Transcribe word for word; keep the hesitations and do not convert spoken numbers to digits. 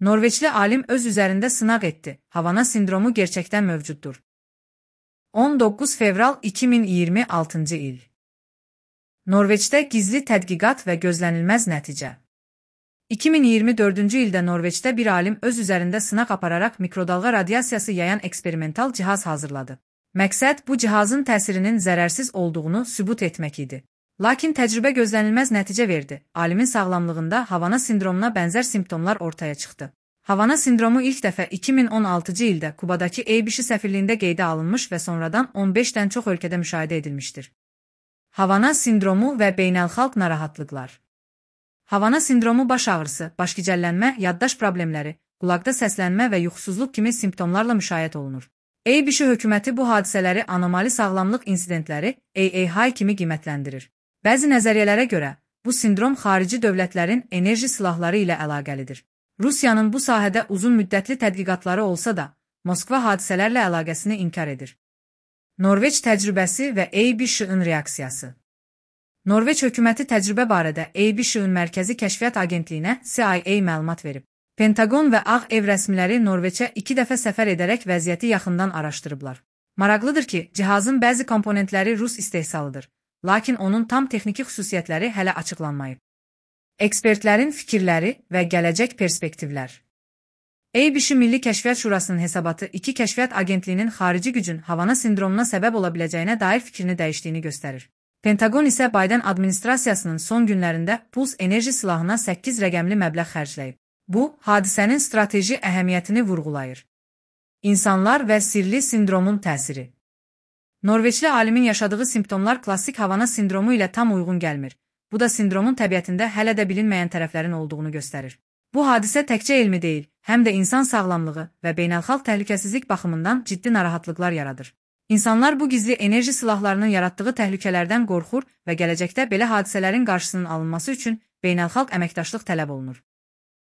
Norveçli alim öz üzərində sınaq etdi. Havana sindromu gerçəkdən mövcuddur. on doqquz fevral iki min iyirmi altıncı il. Norveçdə gizli tədqiqat və gözlənilməz nəticə. iki min iyirmi dördüncü ildə Norveçdə bir alim öz üzərində sınaq apararaq mikrodalğa radiasiyası yayan eksperimental cihaz hazırladı. Məqsəd bu cihazın təsirinin zərərsiz olduğunu sübut etmək idi. Lakin təcrübə gözlənilməz nəticə verdi. Alimin sağlamlığında Havana sindromuna bənzər simptomlar ortaya çıxdı. Havana sindromu ilk dəfə iki min on altıncı ildə Kubadakı A B C səfirliyində qeydə alınmış və sonradan on beşdən çox ölkədə müşahidə edilmişdir. Havana sindromu və beynəlxalq narahatlıqlar. Havana sindromu baş ağrısı, başgicəllənmə, yaddaş problemləri, qulaqda səslənmə və yuxusuzluq kimi simptomlarla müşayiət olunur. A B C hökuməti bu hadisələri anomali sağlamlıq insidentləri A A H kimi qiymətləndirir. Bəzi nəzəriyyələrə görə, bu sindrom xarici dövlətlərin enerji silahları ilə əlaqəlidir. Rusiyanın bu sahədə uzun müddətli tədqiqatları olsa da, Moskva hadisələrlə əlaqəsini inkar edir. Norveç təcrübəsi və A B C-ın reaksiyası. Norveç hökuməti təcrübə barədə A B C-ın Mərkəzi Kəşfiyyat Agentliyinə C I A məlumat verib. Pentagon və Ağ Ev rəsmiləri Norveçə iki dəfə səfər edərək vəziyyəti yaxından araşdırıblar. Maraqlıdır ki, cihazın bəzi komponentləri Rus istehsalıdır. Lakin onun tam texniki xüsusiyyətləri hələ açıqlanmayıb. Ekspertlərin fikirləri və gələcək perspektivlər. A B C Milli Kəşfiyyat Şurasının hesabatı iki kəşfiyyat agentliyinin xarici gücün Havana sindromuna səbəb ola biləcəyinə dair fikrini dəyişdiyini göstərir. Pentagon isə Biden administrasiyasının son günlərində Puls enerji silahına səkkiz rəqəmli məbləğ xərcləyib. Bu, hadisənin strateji əhəmiyyətini vurğulayır. İnsanlar və sirli sindromun təsiri. Norveçli alimin yaşadığı simptomlar klassik Havana sindromu ilə tam uyğun gəlmir. Bu da sindromun təbiətində hələ də bilinməyən tərəflərin olduğunu göstərir. Bu hadisə təkcə elmi deyil, həm də insan sağlamlığı və beynəlxalq təhlükəsizlik baxımından ciddi narahatlıqlar yaradır. İnsanlar bu gizli enerji silahlarının yaratdığı təhlükələrdən qorxur və gələcəkdə belə hadisələrin qarşısının alınması üçün beynəlxalq əməkdaşlıq tələb olunur.